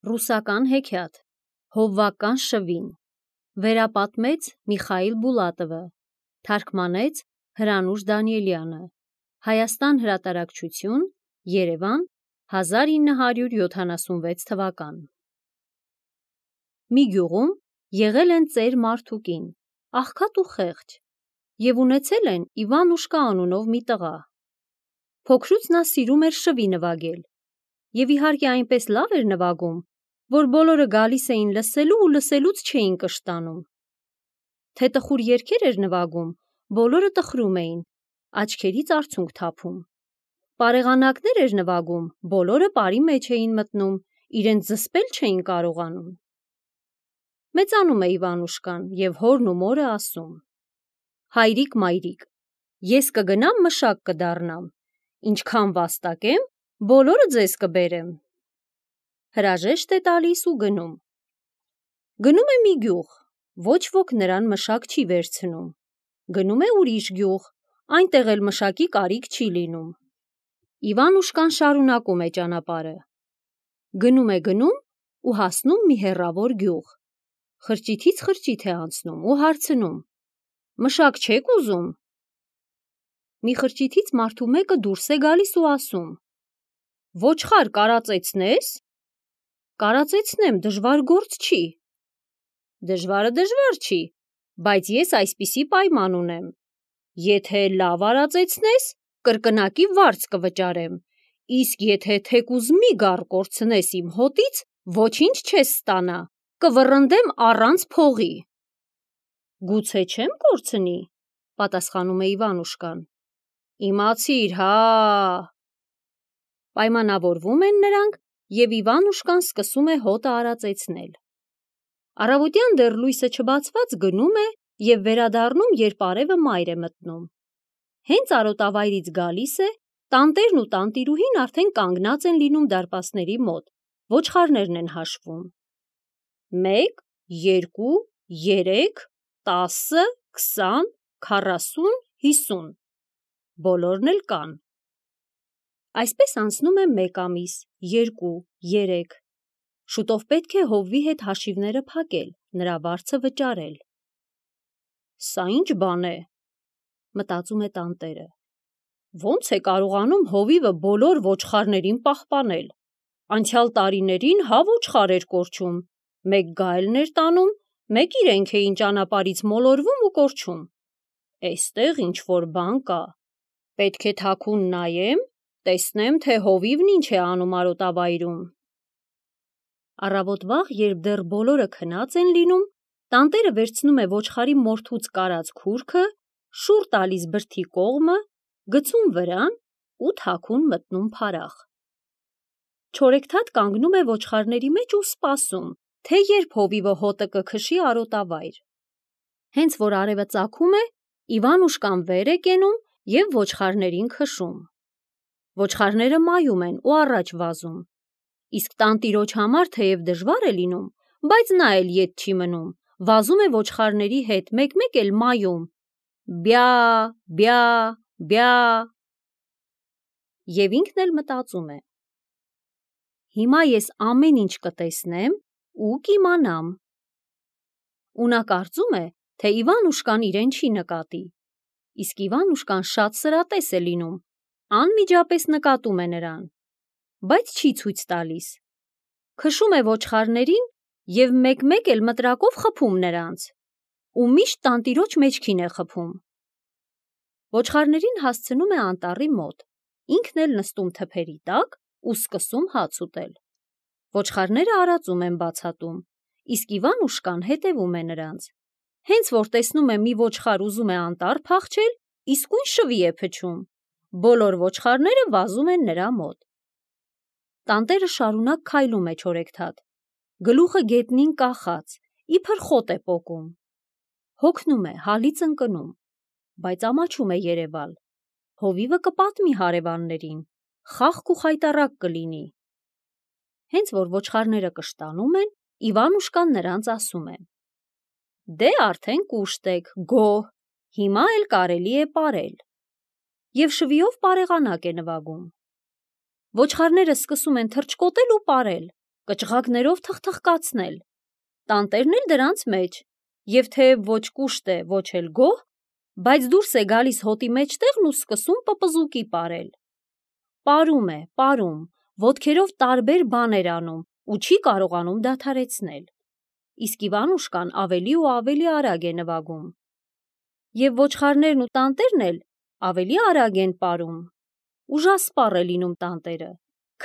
Ռուսական հեքիաթ, հովվական շվին, վերապատմեց Միխայիլ Բուլատովը, թարգմանեց Հրանուշ Դանիելյանը, Հայաստան հրատարակչություն, Երևան, 1976 թվական։ Մի գյուղում եղել են ծեր մարդուկին, աղքատ ու խեղճ, և ունեցել են Իվանուշկա անունով մի տղա։ Փոքրուց նա սիրում էր շվի նվագել, և իհարկե այնպես լավ էր նվագում, որ բոլորը գալիս էին լսելու ու լսելուց չէին կշտանում։ Թե տխուր երգեր էր նվագում, բոլորը տխրում էին, աչքերից արցունք թափում։ Պարեղանակներ էր նվագում, բոլորը պարի մեջ էին մտնում, իրենց զսպել չէին կարողանում։ Մեծանում է Իվանուշկան, և հորն ու մորը ասում. «Հայրիկ, մայրիկ, ես կգնամ մշակ կդառնամ, ինչքան վաստակեմ, բոլորը ձեզ կբերեմ»։ Հրաժեշտ է տալիս ու գնում։ Գնում է մի գյուղ, ոչ ոք նրան մշակ չի վերցնում։ Գնում է ուրիշ գյուղ, այնտեղ էլ մշակի կարիք չի լինում։ Իվանուշկան շարունակում է ճանապարհը։ Գնում է ու հասնում մի հեռավոր գյուղ։ Խրճիթից խրճիթ է անցնում ու հարցնում. «Մշակ չեք ուզում»։ Մի խրճիթից մարդու մեկը դուրս է գալիս ու ասում. «Ոչխար կարածեցնե՞ս»։ «Կարածեցնեմ, դժվար գործ չի»։ «Դժվարը դժվար չի, բայց ես այսպիսի պայման ունեմ. եթե լավ արածեցնես, կրկնակի վարձ կվճարեմ, իսկ եթե թեկուզ մի գառ կորցնես իմ հոտից, ոչինչ չես ստանա, կվռնդեմ առանց փողի»։ «Գուցե չեմ կորցնի», պատասխանում է Իվանուշկան։ «Իմացիր, հա»։ Պայմանավորվում են նրանք, և Իվանուշկան սկսում է հոտը արածեցնել։ Առավոտյան դեռ լույսը չբացված գնում է և վերադառնում, երբ արևը մայր է մտնում։ Հենց արոտավայրից գալիս է, տանտերն ու տանտիրուհին արդեն կանգնած են լինում դարպասների մոտ, ոչխարներն են հաշվում. 1, 2, 3, 10, 20, 40, 50, բոլորն էլ կան։ Այսպես անցնում է 1 ամիս, 2, 3, շուտով պետք է հովվի հետ հաշիվները փակել, նրա վարձը վճարել։ «Սա ի՞նչ բան է», մտածում է տանտերը։ «Ոնց է կարողանում հովիվը բոլոր ոչխարներին պահպանել։ Անցյալ տարիներին հա ոչխար էր կորչում, մեկ գայլն էր տանում, մեկ իրենք էին ճանապարհից մոլորվում ու կորչում։ Էստեղ ինչ-որ բան կա։ Պետք է թաքուն նայեմ, տեսնեմ, թե հովիվն ինչ է անում արոտավայրում»։ Առավոտ վաղ, երբ դեռ բոլորը քնած են լինում, տանտերը վերցնում է ոչխարի մորթուց կարած քուրքը, շուռ տալիս բրդի կողմը, գցում վրան ու թաքուն մտնում փարախ։ Չորեքթաթ կանգնում է ոչխարների մեջ ու սպասում, թե երբ հովիվը հոտը կքշի արոտավայր։ Հենց որ արևը ծագում է, Իվանուշկան վեր է կենում և ոչխարներին քշում։ Ոչխարները մայում են ու առաջ վազում, իսկ տանտիրոջ համար թեև դժվար է լինում, բայց նա էլ ետ չի մնում, վազում է ոչխարների հետ, մեկ-մեկ էլ մայում. «Բյա, բյա, բյա»։ Եվ ինքն էլ մտածում է. «Հիմա ես ամեն ինչ կտեսնեմ ու կիմանամ»։ Ու նա կարծում է, թե Իվանուշկան իրեն չի նկատի, իսկ Իվանուշկան շատ սրատես է լինում, անմիջապես նկատում է նրան, բայց չի ցույց տալիս։ Քշում է ոչխարներին և մեկ-մեկ էլ մտրակով խփում նրանց, ու միշտ տանտիրոջ մեջքին է խփում։ Ոչխարներին հասցնում է անտառի մոտ, ինքն էլ նստում թփերի տակ ու սկսում հաց ուտել։ Ոչխարները արածում են բացատում, իսկ Իվանուշկան հետևում է նրանց։ Հենց որ տեսնում է մի ոչխար ուզում է անտառ փախչել, իսկույն շվի է փչում։ Բոլոր ոչխարները վազում են նրա մոտ։ Տանտերը շարունակ քայլում է չորեքթաթ, գլուխը գետնին կախած, իբր խոտ է պոկում։ Հոգնում է, հալից ընկնում, բայց ամաչում է երևալ։ Հովիվը կպատմի հարևաններին, խաղք ու խայտառակ կլինի։ Հենց որ ոչխարները կշտանում են, Իվանուշկան նրանց ասում է. «Դե արդեն կուշտ եք, գոհ, հիմա էլ կարելի է պարել»։ Եվ շվիով պարեղանակ է նվագում։ Ոչխարները սկսում են թռչկոտել ու պարել, կճղակներով թխթխկացնել, տանտերն էլ դրանց մեջ, և թեև ոչ կուշտ է, ոչ էլ գոհ, բայց դուրս է գալիս հոտի մեջտեղն ու սկսում պպզուկի պարել։ Պարում է, պարում, ոտքերով տարբեր բաներ անում ու չի կարողանում դադարեցնել։ Իսկ Իվանուշկան ավելի ու ավելի արագ է նվագում։ Եվ ոչխարներն ու տանտերն էլ ավելի արագ են պարում։ Ուժասպառ է լինում տանտերը,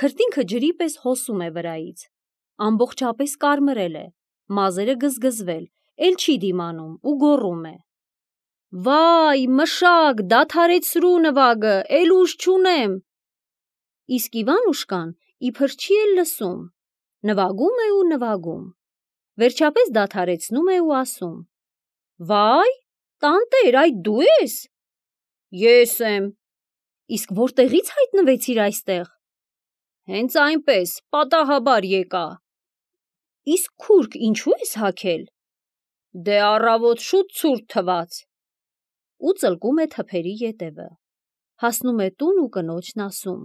քրտինքը ջրի պես հոսում է վրայից, ամբողջապես կարմրել է, մազերը գզգզվել, էլ չի դիմանում ու գոռում է. «Վայ, մշակ, դադարեցրու նվագը, էլ ուժ չունեմ»։ Իսկ Իվանուշկան իբր չի էլ լսում, նվագում է ու նվագում, վերջապես դադարեցնում է ու ասում. «Վայ, տանտեր, այդ դու ես»։ «Ես եմ»։ «Իսկ որտեղի՞ց հայտնվեցիր այստեղ»։ «Հենց այնպես, պատահաբար եկա»։ «Իսկ քուրք ինչու ես հագել»։ «Դե առավոտ շուտ ցուրտ թվաց»։ Ու ծլկում է թփերի ետևը, հասնում է տուն ու կնոջն ասում.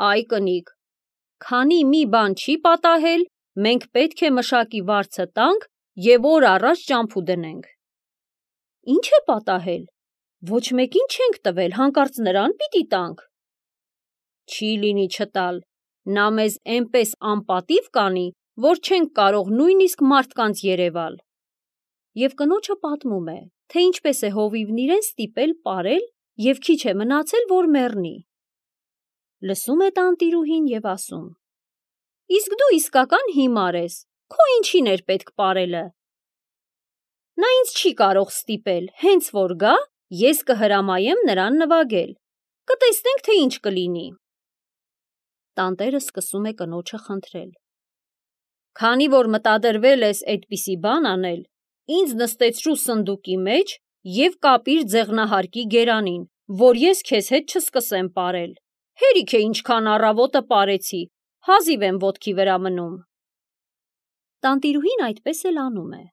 «Այ կնիկ, քանի մի բան չի պատահել, մենք պետք է մշակի վարձը տանք և օր առաջ ճամփու դնենք»։ «Ինչ է պատահել, ոչ մեկին չենք տվել, հանկարծ նրան պիտի տանք»։ «Չի լինի չտալ, նա մեզ էնպես անպատիվ կանի, որ չենք կարող նույնիսկ մարդկանց երևալ»։ Եվ կնոջը պատմում է, թե ինչպես է հովիվն իրեն ստիպել պարել և քիչ է մնացել, որ մեռնի։ Լսում է տանտիրուհին և ասում. «Իսկ դու իսկական հիմար ես, քո ինչին էր պետք պարելը»։ «Նա ինձ չի կարող ստիպել, հենց որ գա, ես կհրամայեմ նրան նվագել, կտեսնենք, թե ինչ կլինի»։ Տանտերը սկսում է կնոջը խնդրել. «Քանի որ մտադրվել ես այդպիսի բան անել, ինձ նստեցրու սնդուկի մեջ և կապիր ձեղնահարկի գերանին, որ ես քեզ հետ չսկսեմ պարել։ Հերիք է ինչքան առավոտը պարեցի, հազիվ եմ ոտքի վրա մնում»։ Տանտիրուհին այդպես էլ անում է։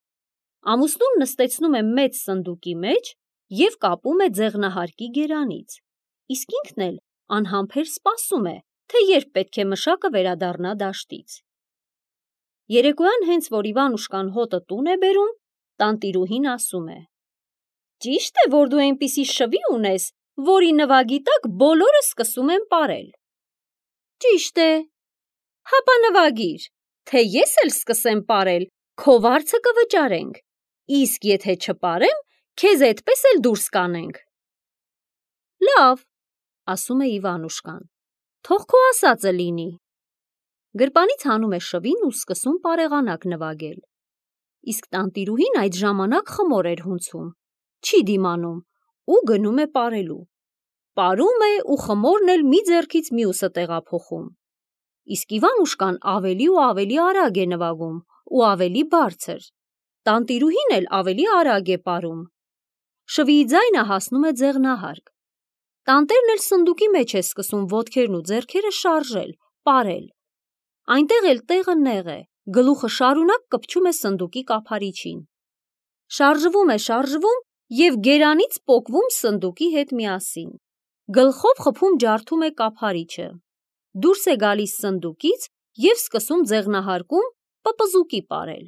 Ամուսնուն նստեցնում է մեծ սնդուկի մեջ և կապում է ձեղնահարկի գերանից, իսկ ինքն էլ անհամբեր սպասում է, թե երբ պետք է մշակը վերադառնա դաշտից։ Երեկոյան հենց որ Իվանուշկան հոտը տուն է բերում, տանտիրուհին ասում է. «Ճիշտ է, որ դու այնպիսի շվի ունես, որի նվագի տակ բոլորը սկսում են պարել»։ «Ճիշտ է»։ «Հապա նվագիր, թե ես էլ սկսեմ պարել, քո վարձը կվճարենք, իսկ եթե չպարեմ, քեզ էդպես էլ դուրս կանենք»։ «Լավ», ասում է Իվանուշկան, «թող քո ասածը լինի»։ Գրպանից հանում է շվին ու սկսում պարեղանակ նվագել։ Իսկ տանտիրուհին այդ ժամանակ խմոր էր հունցում, չի դիմանում ու գնում է պարելու։ Պարում է ու խմորն էլ մի ձեռքից մյուսը տեղափոխում։ Իսկ Իվանուշկան ավելի ու ավելի արագ է նվագում ու ավելի բարձր։ Տանտիրուհին էլ ավելի արագ է պարում։ Շվիի ձայնը հասնում է ձեղնահարկ։ Տանտերն էլ սնդուկի մեջ է սկսում ոտքերն ու ձեռքերը շարժել, պարել։ Այնտեղ էլ տեղը նեղ է, գլուխը շարունակ կպչում է սնդուկի կափարիչին։ Շարժվում է և գերանից պոկվում սնդուկի հետ միասին։ Գլխով խփում ջարդում է կափարիչը։ Դուրս է գալիս սնդուկից և սկսում ձեղնահարկում պպզուկի պարել։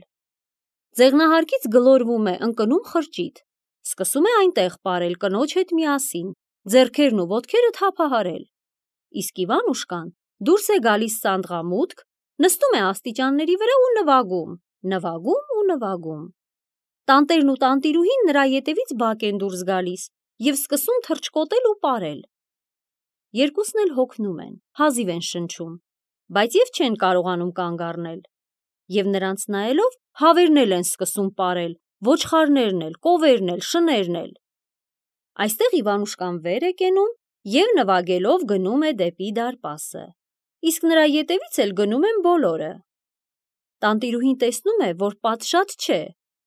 Ձեղնահարկից գլորվում է ընկնում խրճիթ, սկսում է այնտեղ պարել կնոջ հետ միասին, ձեռքերն ու ոտքերը թափահարել։ Իսկ Իվանուշկան դուրս է գալիս սանդղամուտք, նստում է աստիճանների վրա ու նվագում, նվագում ու նվագում։ Տանտերն ու տանտիրուհին նրա ետևից բակ են դուրս գալիս և սկսում թռչկոտել ու պարել։ Երկուսն էլ հոգնում են, հազիվ են շնչում, բայց և չեն կարողանում կանգ առնել։ Եվ նրանց նայելով հավերն էլ են սկսում պարել, ոչխարներն էլ, կովերն էլ, շներն էլ։ Այստեղ Իվանուշկան վեր է կենում և նվագելով գնում է դեպի դարպասը, իսկ նրա ետևից էլ գնում են բոլորը։ Տանտիրուհին տեսնում է, որ պատշաճ չէ,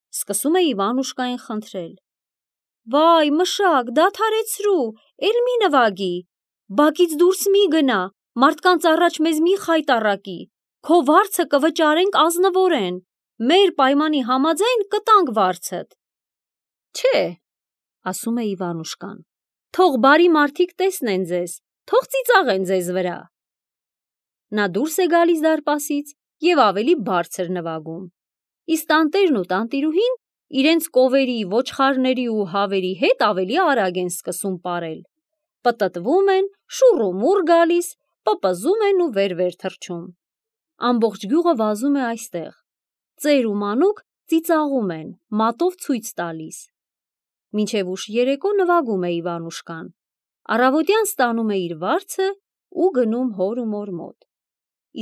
սկսում է Իվանուշկային խնդրել. «Վայ, մշակ, դադարեցրու, էլ մի նվագի, բակից դուրս մի գնա, մարդկանց առաջ մեզ մի խայտառակի, քո վարձը կվճարենք ազնվորեն, մեր պայմանի համաձայն կտանք վարձդ»։ «Չէ», ասում է Իվանուշկան, «թող բարի մարդիկ տեսնեն ձեզ, թող ծիծաղեն ձեզ վրա»։ Նա դուրս է գալիս դարպասից և ավելի բարձր նվագում, իսկ տանտերն ու տանտիրուհին իրենց կովերի, ոչխարների ու հավերի հետ ավելի արագ են սկսում պարել, պտտվում են, շուռ ու մուռ գալիս, պպզում են ու վեր-վեր թռչում։ Ամբողջ գյուղը վազում է այստեղ, ծեր ու մանուկ ծիծաղում են, մատով ցույց տալիս։ Մինչև ուշ երեկո նվագում է Իվանուշկան, առավոտյան ստանում է իր վարձը ու գնում հոր ու մոր մոտ,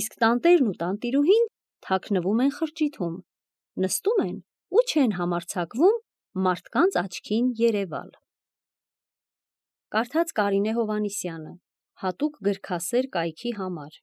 իսկ տանտերն ու տանտիրուհին թաքնվում են խրճիթում, նստում են ու չեն համարձակվում մարդկանց աչքին երևալ։ Կարդաց Կարինե Հովհաննիսյանը, հատուկ գրքասեր կայքի համար։